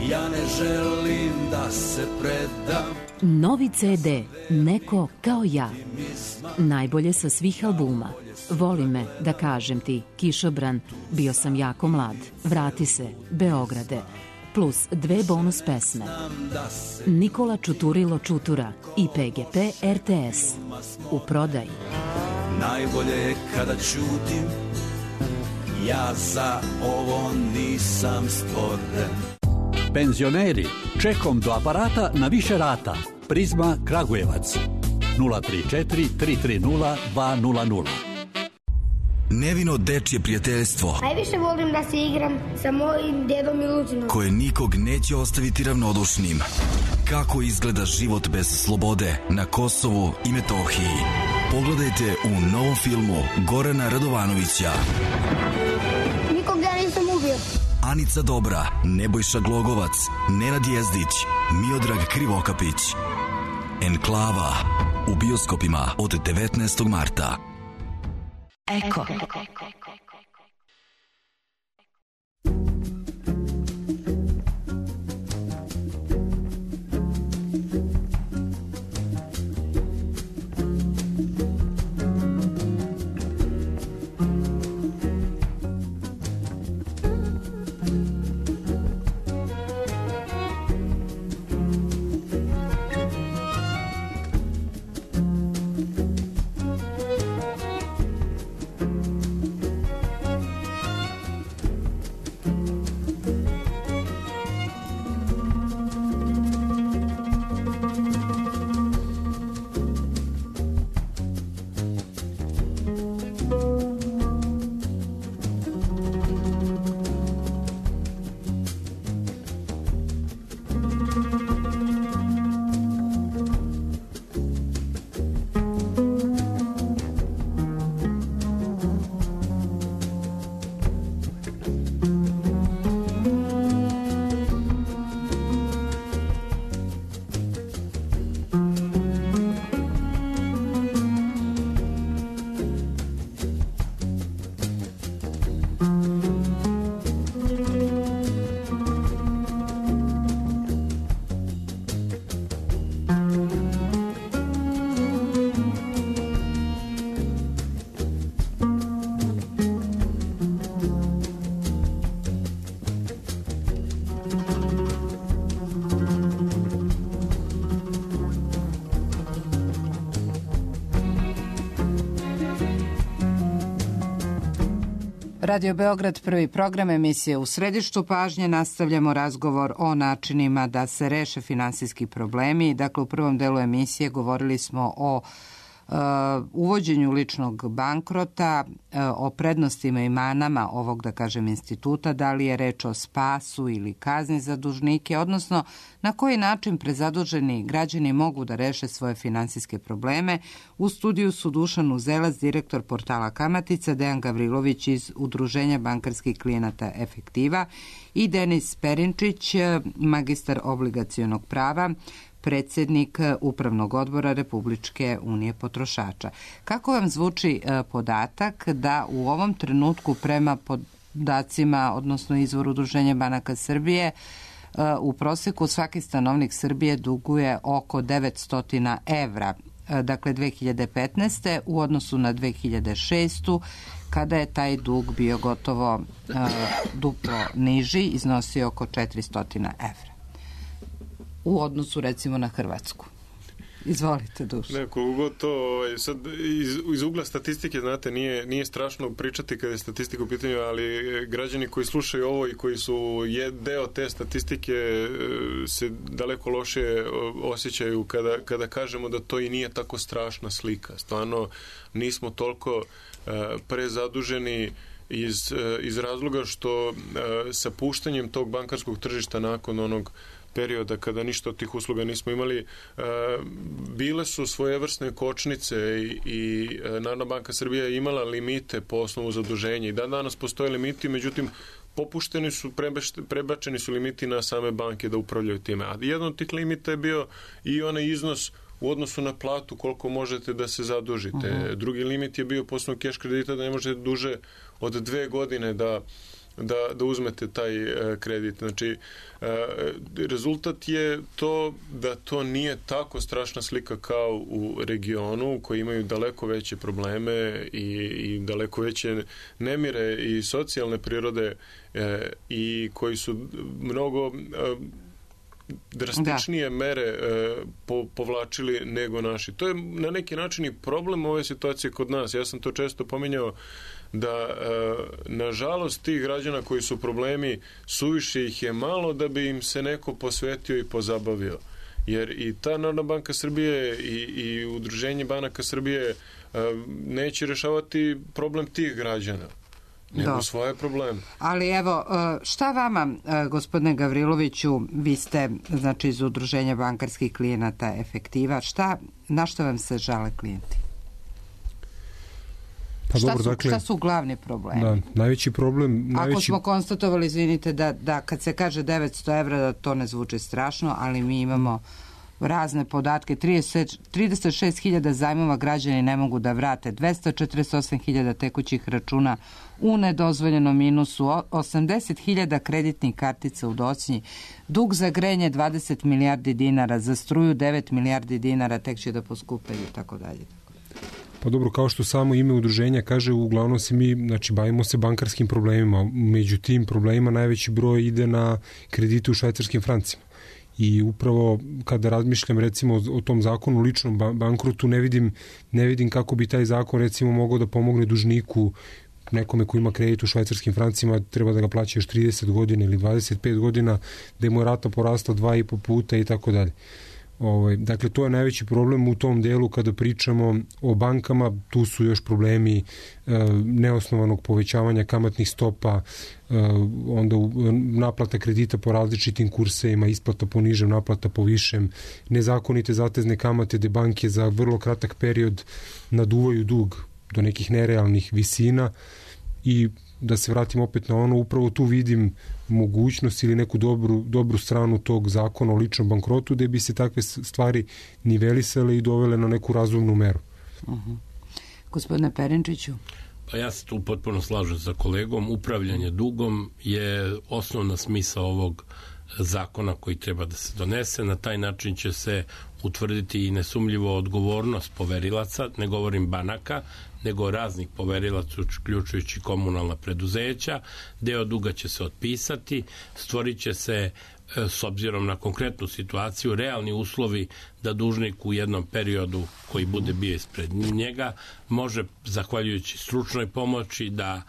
Ja ne želim da se predam. Novi ce de Neko kao ja. Najbolje sa svih albuma. Voli me, da kažem ti, Kišobran, Bio sam jako mlad, Vrati se, Beograde, plus dve bonus pesme. Nikola Čuturilo Čutura i pe ge pe er te es. U prodaji. Najbolje je kada ćutim, ja za ovo nisam stvoren. Penzioneri, čekom do aparata na više rata. Prizma Kragujevac. nula tri četiri tri tri nula dva nula nula. Nevino dečje prijateljstvo. Najviše volim da se igram sa mojim dedom Miluđinom. Koje nikog neće ostaviti ravnodušnim. Kako izgleda život bez slobode na Kosovu i Metohiji. Pogledajte u novom filmu Gorana Radovanovića. Anica Dobra, Nebojša Glogovac, Nenad Jezdić, Miodrag Krivokapić. Enklava u bioskopima od devetnaestog marta. Eko. Radio Beograd, prvi program, emisije U središtu pažnje. Nastavljamo razgovor o načinima da se reše finansijski problemi. Dakle, u prvom delu emisije govorili smo o uh, uvođenju ličnog bankrota, uh, o prednostima i manama ovog, da kažem, instituta, da li je reč o spasu ili kazni za dužnike, odnosno na koji način prezaduženi građani mogu da reše svoje finansijske probleme. U studiju su Dušan Uzelac, direktor portala Kamatica, Dejan Gavrilović iz Udruženja bankarskih klijenata Efektiva i Denis Perinčić, magistar obligacionog prava, predsjednik Upravnog odbora Republičke unije potrošača. Kako vam zvuči podatak da u ovom trenutku prema podacima, odnosno izvoru Udruženja banaka Srbije, u proseku svaki stanovnik Srbije duguje oko devetsto evra, dakle dve hiljade petnaeste. u odnosu na dve hiljade šestu. kada je taj dug bio gotovo uh, duplo niži, iznosio oko četiristo evra. U odnosu recimo na Hrvatsku. Izvolite, Duš. Ne, koliko to, ovaj, sad iz, iz ugla statistike, znate, nije, nije strašno pričati kada je statistika u pitanju, ali građani koji slušaju ovo i koji su je deo te statistike se daleko loše osjećaju kada, kada kažemo da to i nije tako strašna slika. Stvarno, nismo toliko uh, prezaduženi iz, uh, iz razloga što uh, sa puštanjem tog bankarskog tržišta nakon onog perioda kada ništa od tih usluga nismo imali, bile su svojevrsne kočnice i, i Narodna banka Srbije je imala limite po osnovu zaduženja i dan danas postoje limiti, međutim popušteni su, prebačeni su limiti na same banke da upravljaju time. A jedan od tih limita je bio i onaj iznos u odnosu na platu koliko možete da se zadužite. Uh-huh. Drugi limit je bio po osnovu keš kredita da ne možete duže od dve godine da Da, da uzmete taj e, kredit. Znači, e, rezultat je to da to nije tako strašna slika kao u regionu koji imaju daleko veće probleme i, i daleko veće nemire i socijalne prirode e, i koji su mnogo e, drastičnije da. mere e, po, povlačili nego naši. To je na neki način i problem ove situacije kod nas. Ja sam to često pominjao da e, nažalost tih građana koji su problemi, suviše ih je malo da bi im se neko posvetio i pozabavio. Jer i ta Narodna banka Srbije i, i Udruženje banaka Srbije e, neće rešavati problem tih građana, nego Do. svoje probleme. Ali evo, šta vama, gospodine Gavriloviću, vi ste znači iz Udruženja bankarskih klijenata Efektiva, šta, na što vam se žale klijenti? Pa šta, dobro, su, dakle, šta su glavni problemi? Da, najveći problem... Ako najveći... smo konstatovali, izvinite, da, da kad se kaže devetsto evra, da to ne zvuči strašno, ali mi imamo razne podatke. trideset šest hiljada zajmova građani ne mogu da vrate, dvesta četrdeset osam hiljada tekućih računa u nedozvoljenom minusu, osamdeset hiljada kreditnih kartica u docnji, dug za grejanje dvadeset milijardi dinara, za struju devet milijardi dinara, tek će da poskupeju i tako dalje. Pa dobro, kao što samo ime udruženja kaže, uglavnom se mi, znači, bavimo se bankarskim problemima. Među tim problemima najveći broj ide na kredite u švajcarskim francima. I upravo kada razmišljam recimo o tom zakonu o ličnom bankrotu, ne vidim, ne vidim kako bi taj zakon recimo mogao da pomogne dužniku, nekome ko ima kredit u švajcarskim francima, treba da ga plaća još trideset godina ili dvadeset pet godina, da mu je rata porasla dva i po puta i tako dalje. Ovaj, dakle, to je najveći problem u tom delu kada pričamo o bankama. Tu su još problemi e, neosnovanog povećavanja kamatnih stopa, e, onda u, naplata kredita po različitim kursevima, isplata po nižem, naplata po višem, nezakonite zatezne kamate gde banke za vrlo kratak period naduvaju dug do nekih nerealnih visina. I da se vratim opet na ono, upravo tu vidim mogućnost ili neku dobru, dobru stranu tog zakona o ličnom bankrotu, gde bi se takve stvari nivelisale i dovele na neku razumnu meru. Uh-huh. Gospodine Perinčiću? Pa ja se tu potpuno slažem sa kolegom. Upravljanje dugom je osnovna smisla ovog zakona koji treba da se donese. Na taj način će se utvrditi i nesumljivo odgovornost poverilaca, ne govorim banaka, nego raznih poverilaca, uključujući komunalna preduzeća. Deo duga će se otpisati, stvorit će se, s obzirom na konkretnu situaciju, realni uslovi da dužnik u jednom periodu koji bude bio ispred njega može, zahvaljujući stručnoj pomoći, da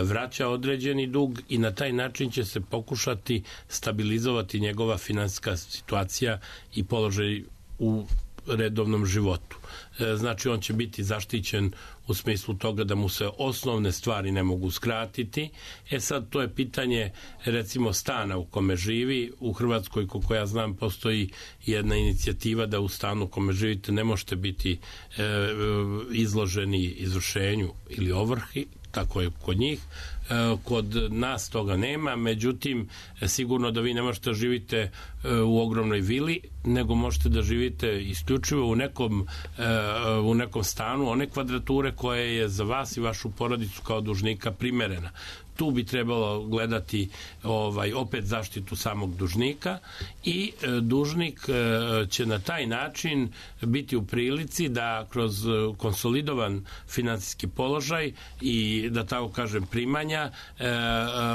vraća određeni dug i na taj način će se pokušati stabilizovati njegova finansijska situacija i položaj u redovnom životu. Znači, on će biti zaštićen u smislu toga da mu se osnovne stvari ne mogu skratiti. E sad, to je pitanje, recimo, stana u kome živi. U Hrvatskoj, koliko ja znam, postoji jedna inicijativa da u stanu u kome živite ne možete biti e, izloženi izvršenju ili ovrhi, tako je kod njih. Kod nas toga nema, međutim, sigurno da vi ne možete da živite u ogromnoj vili, nego možete da živite isključivo u nekom, u nekom stanu one kvadrature koje je za vas i vašu porodicu kao dužnika primerena. Tu bi trebalo gledati ovaj opet zaštitu samog dužnika i e, dužnik e, će na taj način biti u prilici da kroz konsolidovan finansijski položaj i, da tako kažem, primanja e,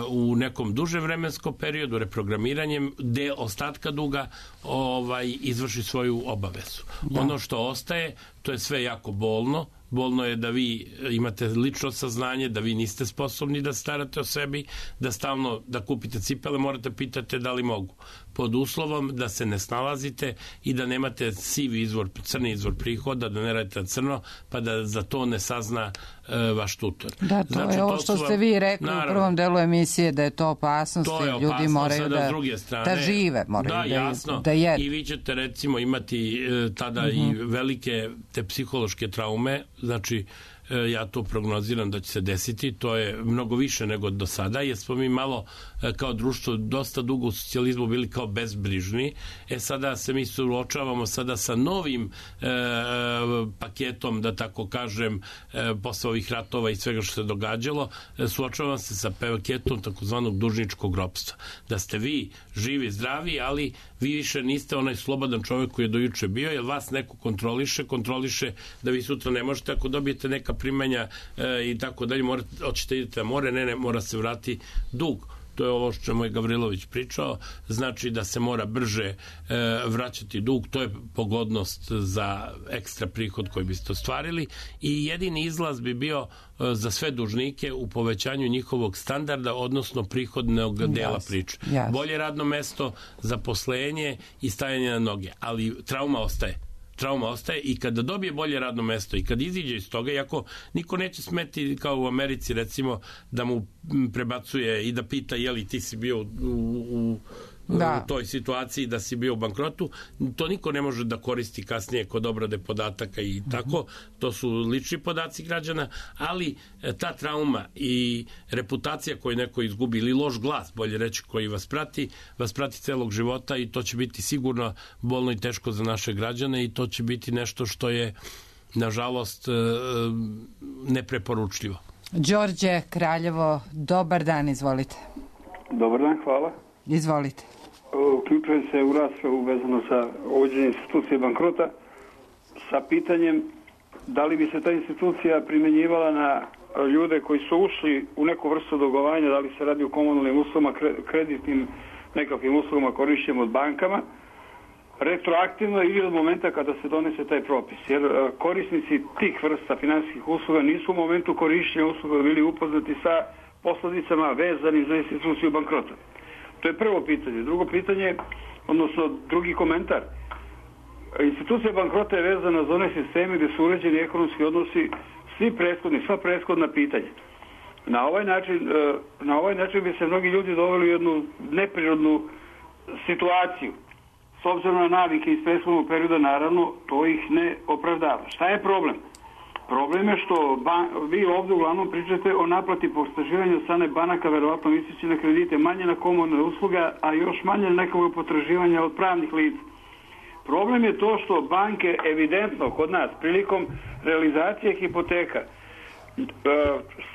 u nekom dužem vremenskom periodu reprogramiranjem del ostatka duga ovaj izvrši svoju obavezu. Da. Ono što ostaje, to je sve jako bolno. Bolno je da vi imate lično saznanje, da vi niste sposobni da starate o sebi, da stalno da kupite cipele, morate pitate da li mogu. Pod uslovom da se ne snalazite i da nemate sivi izvor, crni izvor prihoda, da ne radite na crno, pa da za to ne sazna e, vaš tutor. Da, to znači, je ovo što ste vi rekli naravno, u prvom delu emisije, da je to opasnost, to je opasnost, ljudi moraju da, strane, da žive, moraju da, da, jasno, da jedu. I vi ćete recimo imati e, tada uh-huh. i velike te psihološke traume, znači ja to prognoziram da će se desiti, to je mnogo više nego do sada, jer smo mi malo kao društvo dosta dugo u socijalizmu bili kao bezbrižni, e sada se mi suočavamo sada sa novim e, paketom, da tako kažem, e, posle ovih ratova i svega što se događalo, e, suočavamo se sa paketom takozvanog dužničkog ropstva. Da ste vi živi, zdravi, ali vi više niste onaj slobodan čovjek koji je dojuče bio, jer vas neko kontroliše, kontroliše da vi sutra ne možete, ako dobijete neka primanja e, i tako dalje, morate, hoćete idete na more, ne, ne, mora se vrati dug. To je ovo što je moj Gavrilović pričao, znači da se mora brže e, vraćati dug, to je pogodnost za ekstra prihod koji biste ostvarili i jedini izlaz bi bio e, za sve dužnike u povećanju njihovog standarda, odnosno prihodnog dela yes, priče. Yes. Bolje radno mesto, zaposlenje i stajanje na noge, ali trauma ostaje. Trauma ostaje i kada dobije bolje radno mesto i kad iziđe iz toga, iako niko neće smeti kao u Americi recimo da mu prebacuje i da pita je li ti si bio u, u da. u toj situaciji da si bio u bankrotu. To niko ne može da koristi kasnije kod obrade podataka i tako. To su lični podaci građana, ali ta trauma i reputacija koju neko izgubi ili loš glas, bolje reći, koji vas prati, vas prati celog života i to će biti sigurno bolno i teško za naše građane i to će biti nešto što je nažalost nepreporučljivo. Đorđe Kraljevo, dobar dan, izvolite. Dobar dan, hvala. Izvolite. Uključujem se u raspravu vezano sa uvođenjem institucije bankrota sa pitanjem da li bi se ta institucija primjenjivala na ljude koji su ušli u neku vrstu dugovanja, da li se radi o komunalnim uslugama, kreditnim nekakvim uslugama korišćenim od bankama, retroaktivno ili od momenta kada se donese taj propis. Jer korisnici tih vrsta finansijskih usluga nisu u momentu korišćenja usluga bili upoznati sa posljedicama vezanim za instituciju bankrota. To je prvo pitanje. Drugo pitanje, odnosno drugi komentar. Institucija bankrota je vezana za one sisteme gdje su uređeni ekonomski odnosi svi prethodni, sva prethodna pitanja. Na ovaj način, na ovaj način bi se mnogi ljudi doveli u jednu neprirodnu situaciju. S obzirom na navike iz prethodnog perioda, naravno, to ih ne opravdava. Šta je problem? Problem je što ban, vi ovdje uglavnom pričate o naplati potraživanja od strane banaka, verovatno misleći na kredite, manje na komunalne usluge, a još manje na nekog potraživanja od pravnih lica. Problem je to što banke evidentno kod nas prilikom realizacije hipoteka e,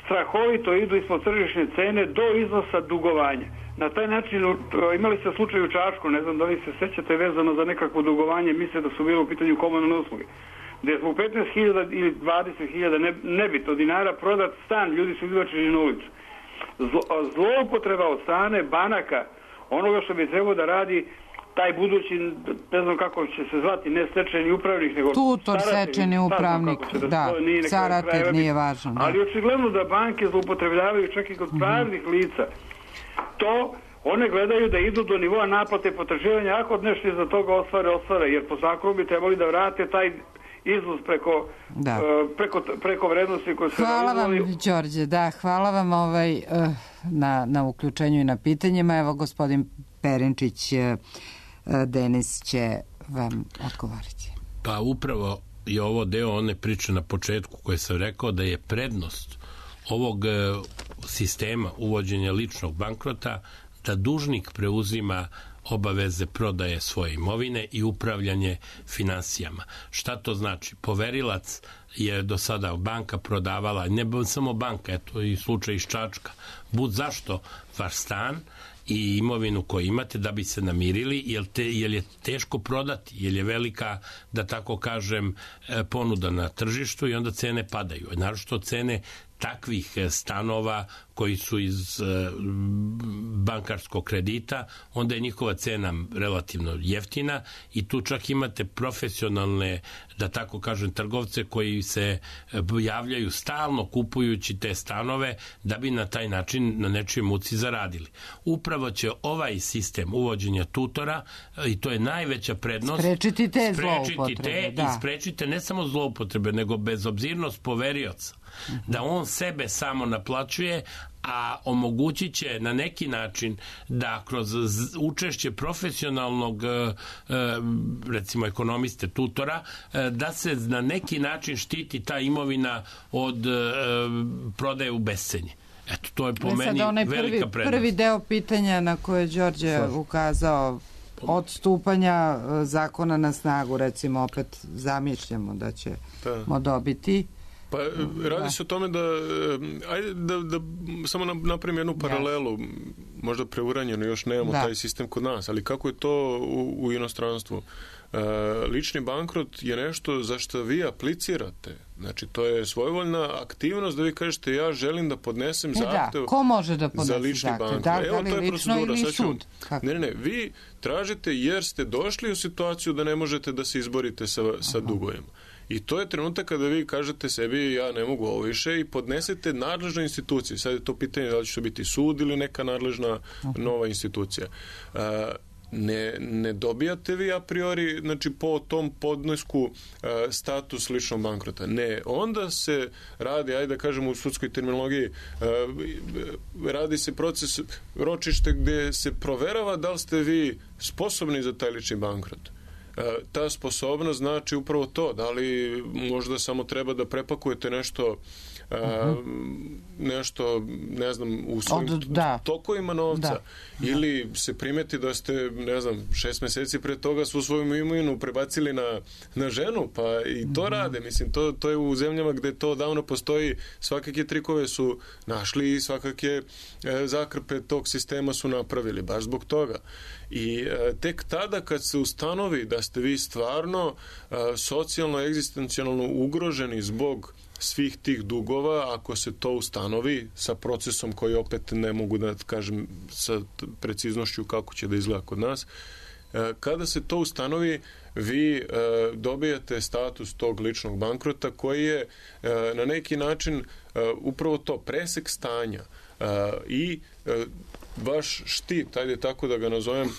strahovito idu ispod tržišne cene do iznosa dugovanja. Na taj način imali ste slučaj u Čačku, ne znam da li se sećate, vezano za nekakvo dugovanje, misle da su bile u pitanju komunalne usluge, gdje je zbog petnaest hiljada ili dvadeset hiljada ne, nebitno dinara prodat stan, ljudi su izbačeni na ulicu. Zlo, zloupotreba od strane banaka, onoga što bi trebao da radi taj budući, ne znam kako će se zvati, ne stečajni upravnik, nego tutor, stečajni upravnik, da, da staratelj nije važno. Da. Ali očigledno da banke zloupotrebljavaju čak i kod mm-hmm. pravnih lica. To one gledaju da idu do nivoa naplate potraživanja, ako nešto iza toga ostvare, ostvare, jer po zakonu bi trebali da vrate taj iznos preko, da. uh, preko, preko vrednosti koje se hvala realizovali. Vam, Đorđe, da, hvala vam ovaj, uh, na, na uključenju i na pitanjima. Evo, gospodin Perinčić, uh, Denis će vam odgovoriti. Pa upravo je ovo deo one priče na početku koje sam rekao da je prednost ovog sistema uvođenja ličnog bankrota da dužnik preuzima obaveze prodaje svoje imovine i upravljanje finansijama. Šta to znači? Poverilac je do sada banka prodavala, ne samo banka, eto i slučaj iz Čačka, bud zašto vaš stan i imovinu koju imate da bi se namirili, jer, te, jer je teško prodati, jer je velika, da tako kažem, ponuda na tržištu i onda cene padaju. Naročito cene takvih stanova koji su iz bankarskog kredita, onda je njihova cena relativno jeftina i tu čak imate profesionalne, da tako kažem, trgovce koji se javljaju stalno kupujući te stanove da bi na taj način na nečijoj muci zaradili. Upravo će ovaj sistem uvođenja tutora, i to je najveća prednost, sprečiti te sprečiti zloupotrebe, te da. I sprečite ne samo zloupotrebe, nego bezobzirnost poverioca. Da on sebe samo naplaćuje, a omogućit će na neki način da kroz učešće profesionalnog recimo ekonomiste, tutora, da se na neki način štiti ta imovina od prodaje u bescenje. Eto, to je po meni velika prvi, prednost. Prvi deo pitanja na koje je Đorđe ukazao, od stupanja zakona na snagu, recimo opet zamišljamo da ćemo dobiti. Pa radi se o tome da, ajde da, da samo napravim jednu paralelu, možda preuranjeno, još nemamo da. taj sistem kod nas, ali kako je to u, u inostranstvu? E, lični bankrot je nešto za što vi aplicirate. Znači, to je svojevoljna aktivnost da vi kažete ja želim da podnesem zahtev da. Ko može da za lični bankrot. Da, Evo, da to je procedura. ili sud? Ne, ne, ne, vi tražite jer ste došli u situaciju da ne možete da se izborite sa, sa dugovima. I to je trenutak kada vi kažete sebi ja ne mogu ovo više i podnesete nadležnoj instituciji. Sad je to pitanje da li će to biti sud ili neka nadležna nova institucija. Uh, ne, ne dobijate vi a priori, znači po tom podnesku uh, status ličnog bankrota. Ne, onda se radi, ajde da kažemo u sudskoj terminologiji, uh, radi se proces ročište gde se proverava da li ste vi sposobni za taj lični bankrot. Uh, ta sposobnost znači upravo to, da li možda samo treba da prepakujete nešto Uh, uh-huh. nešto, ne znam, u svojim Od, da. tokovima novca da. ili se primeti da ste, ne znam, šest meseci pre toga svu svoju imovinu prebacili na, na ženu, pa i to uh-huh. rade, mislim, to, to je u zemljama gde to davno postoji, svakake trikove su našli i svakake e, zakrpe tog sistema su napravili, baš zbog toga. I e, tek tada kad se ustanovi da ste vi stvarno e, socijalno, egzistencijalno ugroženi zbog svih tih dugova, ako se to ustanovi sa procesom koji opet ne mogu da kažem sa preciznošću kako će da izgleda kod nas, kada se to ustanovi, vi dobijate status tog ličnog bankrota koji je na neki način upravo to, presek stanja i vaš štit, ajde tako da ga nazovem,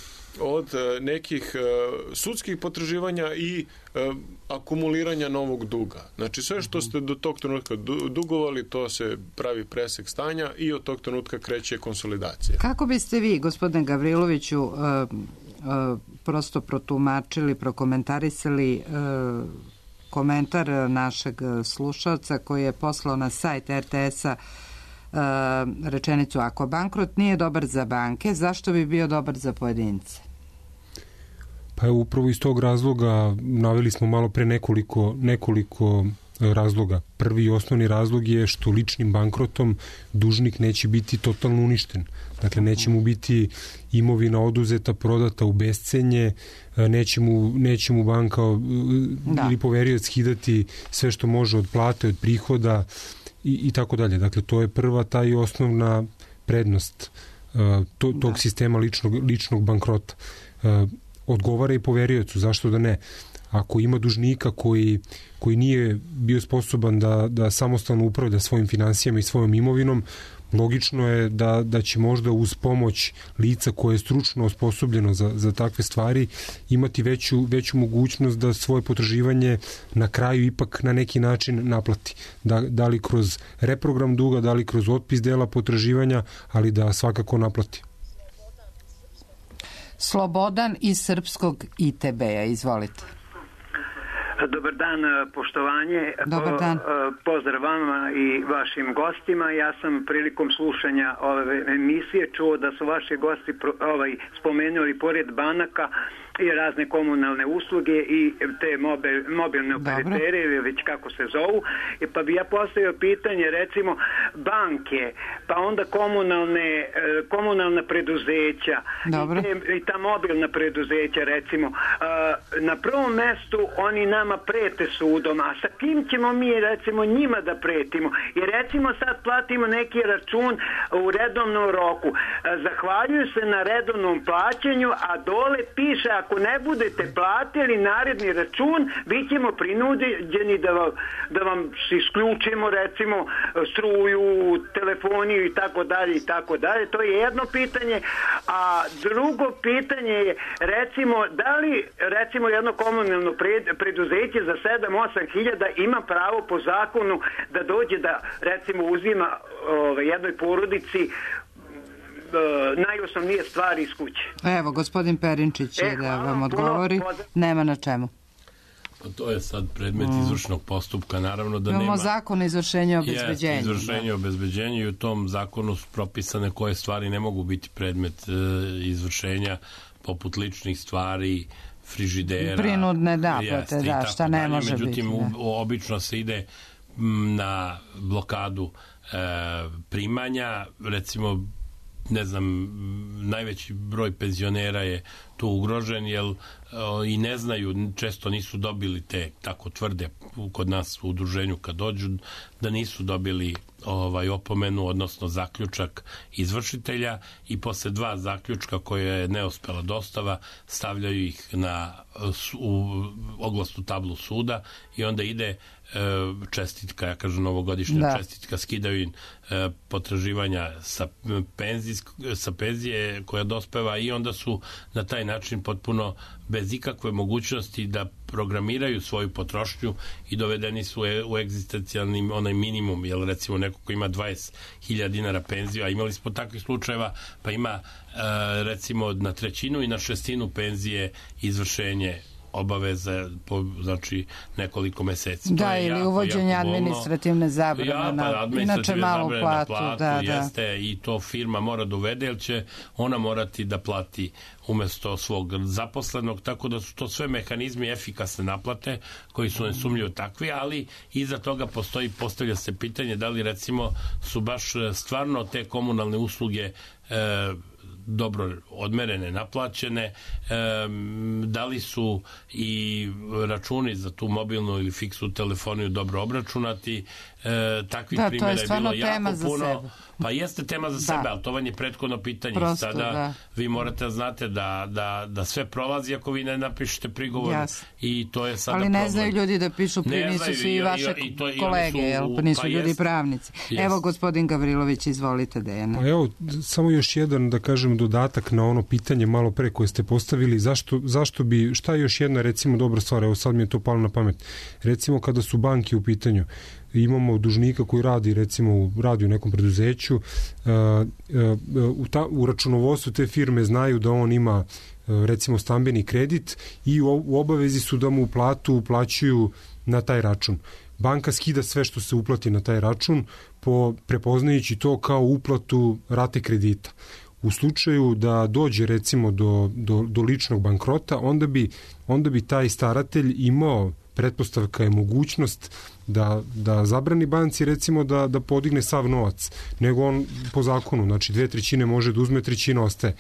od nekih sudskih potraživanja i akumuliranja novog duga. Znači sve što ste do tog trenutka dugovali, to se pravi presek stanja i od tog trenutka kreće konsolidacija. Kako biste vi, gospodine Gavriloviću, prosto protumačili, prokomentarisali komentar našeg slušalca koji je poslao na sajt er te es-a rečenicu: ako bankrot nije dobar za banke, zašto bi bio dobar za pojedince? Pa upravo iz tog razloga naveli smo malo pre nekoliko, nekoliko razloga. Prvi i osnovni razlog je što ličnim bankrotom dužnik neće biti totalno uništen. Dakle, neće mu biti imovina oduzeta, prodata u bescenje, neće mu, neće mu banka da. ili poverioc skidati sve što može od plate, od prihoda i, i tako dalje. Dakle, to je prva ta i osnovna prednost uh, to, tog da. sistema ličnog, ličnog bankrota. Uh, odgovara i poveriocu, zašto da ne? Ako ima dužnika koji, koji nije bio sposoban da, da samostalno upravlja svojim finansijama i svojom imovinom, logično je da, da će možda uz pomoć lica koje je stručno osposobljeno za, za takve stvari imati veću, veću mogućnost da svoje potraživanje na kraju ipak na neki način naplati. Da, da li kroz reprogram duga, da li kroz otpis dela potraživanja, ali da svakako naplati. Slobodan iz Srpskog i te be-a, izvolite. Dobar dan, poštovanje. Dobar dan. Pozdrav vama i vašim gostima. Ja sam prilikom slušanja ove emisije čuo da su vaši gosti ovaj, spomenuli pored banaka i razne komunalne usluge i te mobil, mobilne operatere ili već kako se zovu. I pa bi ja postavio pitanje, recimo banke, pa onda komunalne, komunalna preduzeća i, te, i ta mobilna preduzeća, recimo na prvom mestu oni nama prete sudom, a sa kim ćemo mi recimo njima da pretimo? I recimo sad platimo neki račun u redovnom roku, zahvaljuju se na redovnom plaćanju, a dole piše ako ne budete platili naredni račun, bit ćemo prinuđeni da vam, da vam isključimo recimo struju, telefoniju i tako dalje i tako dalje. To je jedno pitanje, a drugo pitanje je recimo da li recimo jedno komunalno preduzeće za sedam osam hiljada ima pravo po zakonu da dođe da recimo uzima ove, jednoj porodici najosnovnije stvari iz kuće. Evo, gospodin Perinčić će e, da vam odgovori. Puno, nema na čemu. Pa to je sad predmet mm. izvršnog postupka, naravno da Imamo nema... Imamo zakon o izvršenju i obezbeđenju. Je, izvršenje i obezbeđenju i u tom zakonu su propisane koje stvari ne mogu biti predmet e, izvršenja, poput ličnih stvari, frižidera. Prinudne naplate, da, šta ne može Međutim, biti. Međutim, obično se ide na blokadu e, primanja, recimo ne znam, najveći broj penzionera je tu ugrožen, jer o, i ne znaju, često nisu dobili te, tako tvrde kod nas u udruženju kad dođu, da nisu dobili ovaj opomenu, odnosno zaključak izvršitelja i posle dva zaključka koje je neuspela dostava, stavljaju ih na u oglasnu tablu suda i onda ide čestitka, ja kažem novogodišnja da. čestitka, skidaju im potraživanja sa, penzijsk, sa penzije koja dospeva i onda su na taj način potpuno bez ikakve mogućnosti da programiraju svoju potrošnju i dovedeni su u egzistencijalni onaj minimum, jer recimo neko ko ima dvadeset hiljada dinara penziju, a imali smo takvih slučajeva, pa ima recimo na trećinu i na šestinu penzije izvršenje obaveza po, znači, nekoliko meseci. Da, to je ili jako, uvođenje jako administrativne zabrane ja, pa, na, inače malu platu. platu da, jeste, da. I to firma mora da uvede, jer će ona morati da plati umesto svog zaposlenog, tako da su to sve mehanizmi efikasne naplate koji su nesumnjivo takvi, ali iza toga postoji, postavlja se pitanje da li recimo su baš stvarno te komunalne usluge e, dobro odmerene, naplaćene, e, da li su i računi za tu mobilnu ili fiksnu telefoniju dobro obračunati. E, takvih da, primjera je, je bilo jako puno. Sebe. Pa jeste tema za da. sebe, ali to vam je prethodno pitanje. Prosto, sada da. vi morate da znate da, da, da sve prolazi ako vi ne napišete prigovor. Jasne. I to je sada ali ne problem. znaju ljudi da pišu pri, nisu znaju, svi i, vaše i, i to, kolege, jel? Pa nisu pa ljudi jest, pravnici. Jest. Evo, gospodin Gavrilović, izvolite, Dejana. Pa evo, samo još jedan, da kažem, dodatak na ono pitanje malo pre koje ste postavili, zašto, zašto bi, šta je još jedna, recimo, dobra stvar, evo sad mi je to palo na pamet. Recimo, kada su banke u pitanju, imamo dužnika koji radi, recimo, radi u nekom preduzeću, uh, uh, u, ta, u računovodstvu te firme znaju da on ima, uh, recimo, stambeni kredit i u, u obavezi su da mu platu uplaćuju na taj račun. Banka skida sve što se uplati na taj račun, po, prepoznajući to kao uplatu rate kredita. U slučaju da dođe, recimo, do, do, do ličnog bankrota, onda bi, onda bi taj staratelj imao, pretpostavka je mogućnost da, da zabrani banci, recimo, da, da podigne sav novac, nego on po zakonu, znači dve trećine može da uzme, trećina ostaje.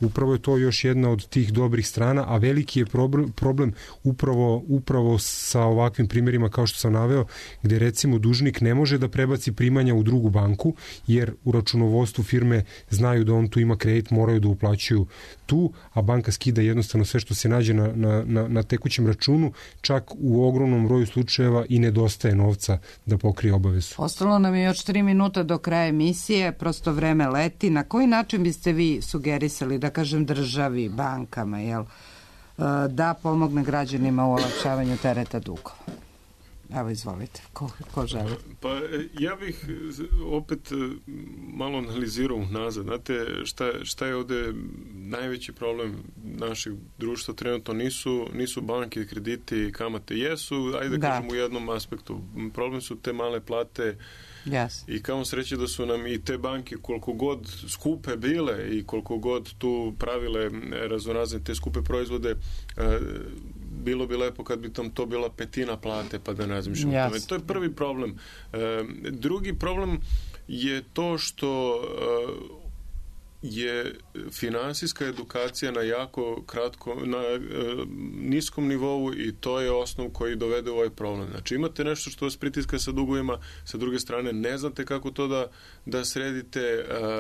Upravo je to još jedna od tih dobrih strana, a veliki je problem, problem upravo, upravo sa ovakvim primjerima kao što sam naveo, gde recimo dužnik ne može da prebaci primanja u drugu banku, jer u računovodstvu firme znaju da on tu ima kredit, moraju da uplaćuju tu, a banka skida jednostavno sve što se nađe na, na, na, na tekućem računu, čak u ogromnom broju slučajeva i nedostaje novca da pokrije obavezu. Ostalo nam je još tri minuta do kraja emisije, prosto vreme leti. Na koji način biste vi sugerisali, da kažem, državi, bankama, jel, da pomogne građanima u olakšavanju tereta dugova? Evo, izvolite, ko, ko želi? Pa ja bih opet malo analizirao nazad. Znate, šta, šta je ovde najveći problem našeg društva trenutno? Nisu, nisu banke, krediti, kamate. Jesu, ajde da kažem u jednom aspektu. Problem su te male plate. Yes. I kamo sreće da su nam i te banke koliko god skupe bile i koliko god tu pravile raznorazne te skupe proizvode, bilo bi lepo kad bi tam to bila petina plate, pa da ne razmišljamo yes. o tome. To je prvi problem. Drugi problem je to što je finansijska edukacija na jako kratko, na e, niskom nivou i to je osnov koji dovede u ovaj problem. Znači imate nešto što vas pritiska sa dugovima, sa druge strane ne znate kako to da, da sredite.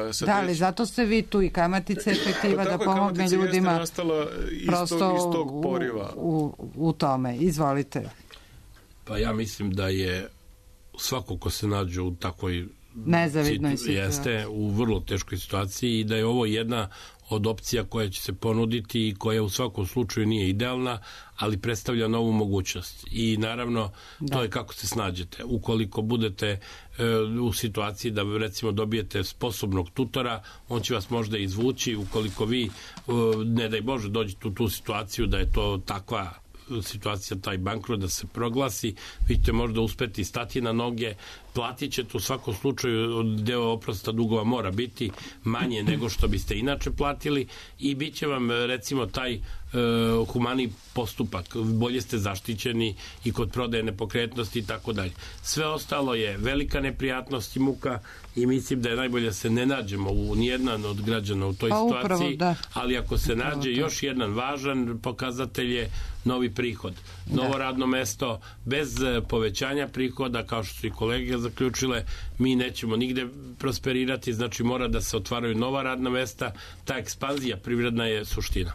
E, sa da, ali teć... zato ste vi tu i kamatice efektiva da pomogne ljudima nastala prosto iz tog poriva. U, u, u tome. Izvolite. Pa ja mislim da je svako ko se nađe u takvoj nezavidnoj situaciji. Jeste u vrlo teškoj situaciji i da je ovo jedna od opcija koja će se ponuditi i koja u svakom slučaju nije idealna, ali predstavlja novu mogućnost. I naravno, da. to je kako se snađete. Ukoliko budete e, u situaciji da recimo dobijete sposobnog tutora, on će vas možda izvući. Ukoliko vi, e, ne daj Bože, dođete u tu situaciju da je to takva situacija, taj bankrot da se proglasi, vi ćete možda uspeti stati na noge, platit ćete u svakom slučaju, deo oprosta dugova mora biti manje nego što biste inače platili i bit će vam recimo taj e, humani postupak, bolje ste zaštićeni i kod prodaje nepokretnosti i tako dalje. Sve ostalo je velika neprijatnost i muka i mislim da je najbolje da se ne nađemo u nijedan od građana u toj pa, situaciji, upravo, da. ali ako se upravo nađe to. još jedan važan pokazatelj je novi prihod, novo da. radno mesto, bez povećanja prihoda, kao što su i kolege zaključile, mi nećemo nigde prosperirati, znači mora da se otvaraju nova radna mesta, ta ekspanzija privredna je suština.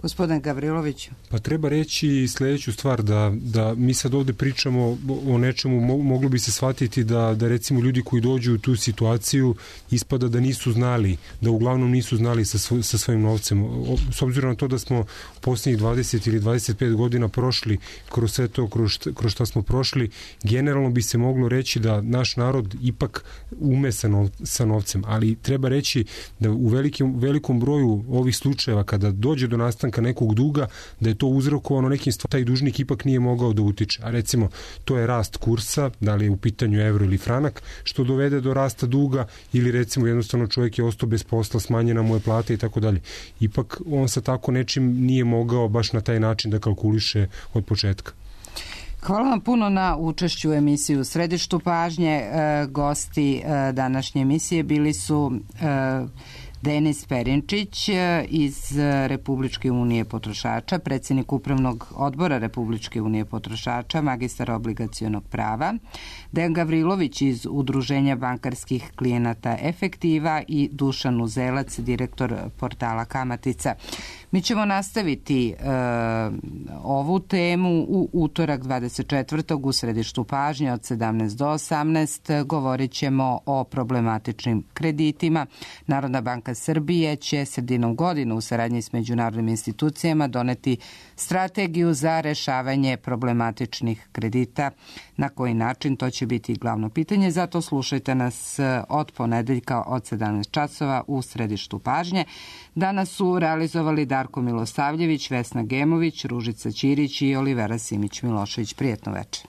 Gospodin Gavrilović. Pa treba reći sljedeću stvar, da, da mi sad ovde pričamo o nečemu, moglo bi se shvatiti da, da recimo ljudi koji dođu u tu situaciju ispada da nisu znali, da uglavnom nisu znali sa, svoj, sa svojim novcem. O, s obzirom na to da smo posljednjih dvadeset ili dvadeset pet godina prošli kroz sve to, kroz, kroz šta smo prošli, generalno bi se moglo reći da naš narod ipak ume sa, nov, sa novcem, ali treba reći da u velikim, velikom broju ovih slučajeva kada dođe do nastanka nekog duga, da je to uzrokovano nekim stvarima, taj dužnik ipak nije mogao da utiče. A recimo, to je rast kursa, da li je u pitanju evro ili franak, što dovede do rasta duga, ili recimo jednostavno čovjek je ostao bez posla, smanjena mu je plata i tako dalje. Ipak on sa tako nečim nije mogao baš na taj način da kalkuliše od početka. Hvala vam puno na učešću u emisiji U središtu pažnje. E, gosti e, današnje emisije bili su e, Denis Perinčić iz Republičke unije potrošača, predsjednik Upravnog odbora Republičke unije potrošača, magistar obligacionog prava, Dejan Gavrilović iz Udruženja bankarskih klijenata Efektiva i Dušan Uzelac, direktor portala Kamatica. Mi ćemo nastaviti e, ovu temu u utorak dvadeset četvrtog u središtu pažnje od sedamnaest do osamnaest. Govorit ćemo o problematičnim kreditima. Narodna banka Srbije će sredinom godine u saradnji s međunarodnim institucijama doneti strategiju za rešavanje problematičnih kredita. Na koji način, to će biti glavno pitanje, zato slušajte nas od ponedeljka od sedamnaest časova u središtu pažnje. Danas su realizovali Darko Milosavljević, Vesna Gemović, Ružica Ćirić i Olivera Simić-Milošević. Prijetno večer.